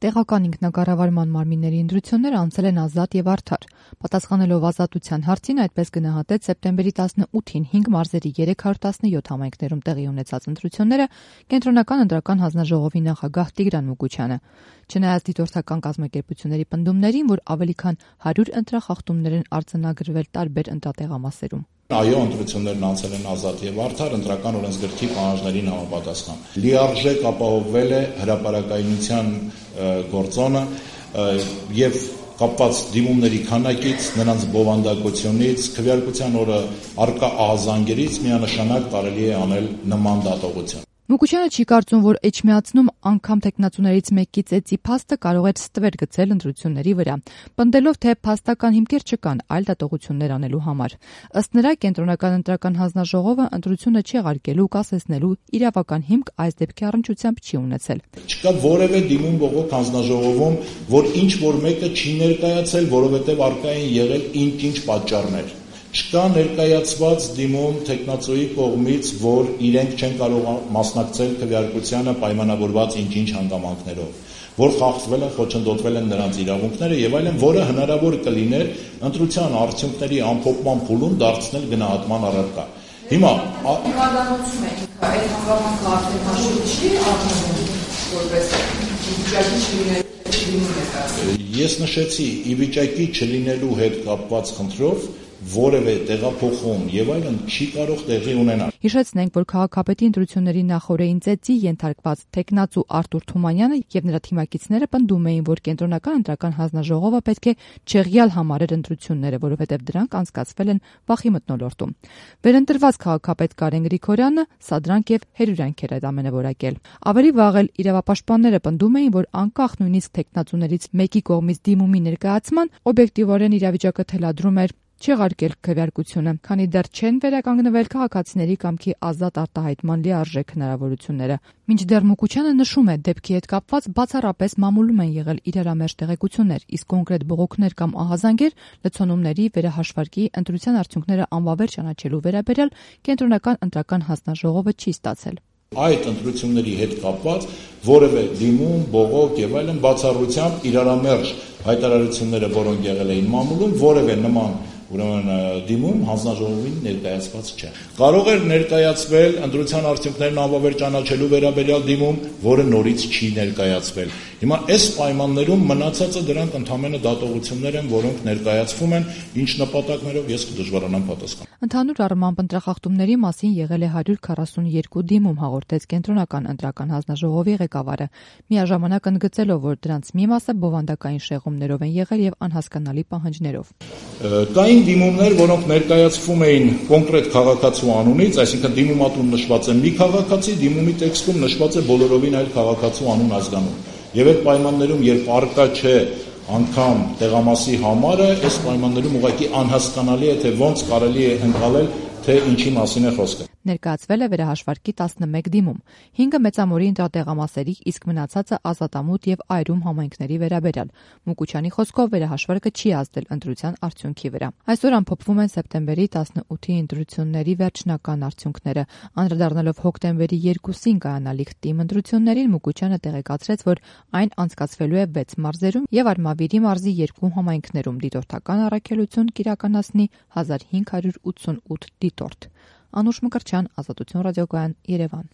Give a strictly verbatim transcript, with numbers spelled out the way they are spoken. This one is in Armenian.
Տեղական ինքնակառավարման մարմինների ընտրությունները անցել են ազատ եւ արդար։ Պատասխանելով ազատության հարցին, այդպես գնահատեց սեպտեմբերի տասնութին հինգ մարզերի երեք հարյուր տասնյոթ համայնքներում տեղի ունեցած ընտրությունները Կենտրոնական ընտրական հանձնաժողովի նախագահ Տիգրան Մուկուչյանը։ Չնայած դիտորդական կազմակերպությունների պնդումներին, որ ավելի քան հարյուր ընտրախախտումներ են արձանագրվել տարբեր ընտրատեղամասերում։ Այո, ընտրություններն անցել են ազատ եւ արդար ընտրական օրենսգրքի պահանջներին համապատասխան։ Լիարժեք ապահովվել է հրապարակայնության գործոնը եւ կապված դիմումների քանակից, նրանց բովանդակությունից, քվեարկության օրը առկա ահազանգերից միանշանակ կարելի է անել նման դատողություն։ Մուկուչյանը չի կարծում, որ էջմիածնում անգամ տեխնացուներից մեկի ծեծի փաստը կարող էր ստվեր գցել ընտրությունների վրա, պնդելով, թե փաստական հիմքեր չկան այլ դատողություններ անելու համար։ Ըստ նրա, Կենտրոնական ընտրական հանձնաժողովը ընտրությունը չեղարկելու, կասեցնելու իրավական հիմք այս դեպքի առնչությամբ չի ունեցել։ Չկա որևէ դիմում բողոք հանձնաժողովում, որ ինչ որ մեկը չի ներկայացել, որովհետև առկա են եղել ինչ-ինչ պատճառներ։ Չկա ներկայացված դիմում տեխնացուի կողմից, որ իրենք չեն կարող մասնակցել քվեարկությանը պայմանավորված ինչ-ինչ հանգամանքներով, որ խախտվել են, խոչընդոտվել են նրանց իրավունքները եւ այլն, որը հնարավոր կլիներ ընտրության արդյունքների ամփոփման փուլում դարձնել գնահատման առարկա։ Հիմա անդամություն է, այդ հանգամանքը արդեն հաշվի չի առնվում, որպես վիճակի չլինելու։ Ես նշեցի, ի վիճակի չլինելու հետ կապված խնդրով որևէ տեղափոխում եւ այլն չի կարող տեղի ունենալ։ Հիշեցնենք, որ քաղաքապետի ընտրությունների նախօրեին ծեծի ենթարկված տեխնացու Արտուր Թումանյանը եւ նրա թիմակիցները պնդում էին, որ Կենտրոնական ընտրական հանձնաժողովը պետք է չեղյալ համարեր ընտրությունները, որովհետեւ դրանք անցկացվել են վախի մթնոլորտում։ Վերընտրված քաղաքապետ Կարեն Գրիգորյանը սադրանք եւ հերյուրանք էր այդ ամենը որակել։ Ավելի վաղ էլ իրավապաշտպանները պնդում էին, որ անկախ նույնիսկ տեխնացուներից մեկի կողմից դիմումի ներկայացման օբյեկտիվորեն իրավիճակը թելադրում էր չեղարկել քվեարկությունը, քանի դեռ չեն վերականգնվել քաղաքացիների կամքի ազատ արտահայտման լիարժեք հնարավորությունները։ Մինչդեռ Մուկուչյանը նշում է, դեպքի հետ կապված բացառապես մամուլում են եղել իրարամերժ տեղեկություններ, իսկ կոնկրետ բողոքներ կամ ահազանգեր լցոնումների, վերահաշվարկի, ընտրության արդյունքները անվավեր ճանաչելու վերաբերյալ Կենտրոնական ընտրական հանձնաժողովը չի ստացել։ Այդ ընտրությունների հետ կապված որևէ դիմում, բողոք եւ այլն բացառությամբ իրարամերժ հայտարարությունները, որոնք եղել էին մամուլում, որևէ նման ուրեմն դիմում հանձնաժողովին ներկայացված չէ։ Կարող էր ներկայացվել ընտրության արդյունքներն անվավեր ճանաչելու վերաբերյալ դիմում, որը նորից չի ներկայացվել։ Հիմա այս պայմաններում մնացածը դրանք ընդհանրապես դատողություններ են, որոնք ներկայացվում են, ինչ նպատակներով ես կդժվարանամ պատասխանել։ Ընդհանուր առմամբ ընտրախախտումների մասին եղել է հարյուր քառասունյոթ դիմում, հաղորդեց Կենտրոնական ընտրական հանձնաժողովի ղեկավարը, միաժամանակ ընդգծելով, որ դրանց մի մասը բովանդակային շեղումներով են եղել եւ անհասկանալի պահանջներով։ Կային դիմումներ, որոնք ներկայացվում էին կոնկրետ քաղաքացու անունից, այսինքն դիմումատուն նշված է մի քաղաքացի, դիմումի տեքստում նշված է բոլորովին այլ քաղաքացու անուն ազգանուն։ Եվ այդ պայմաններում, երբ առկա չէ անգամ տեղամասի համարը, այս պայմաններում ուղղակի անհասկանալի է, թե ոնց կարելի է ընկալել, թե ինչի մասին է խոսքը։ Ներկայացվել է վերահաշվարկի տասնմեկ դիմում, հինգը մեծամորի ընտրատեղամասերի, իսկ մնացածը ազատամուտ եւ այրում համայնքների վերաբերյալ։ Մուկուչյանի խոսքով վերահաշվարկը չի ազդել ընտրության արդյունքի վրա։ Այսօր ամփոփվում են սեպտեմբերի տասնութի ընտրությունների վերջնական արդյունքները։ Անդրադառնալով հոկտեմբերի երկուսին կայանալիք թիմ ընտրություններին, Մուկուչյանը տեղեկացրեց, որ այն անցկացվելու է վեց մարզերում եւ Արմավիրի մարզի երկու համայնքներում դիտորդական առաքելություն կիրականացնի հազար հինգ հարյուր ութսունութ դիտորդ։ Անուշ Մկրտչյան, Ազատություն ռադիոկայան, Երևան։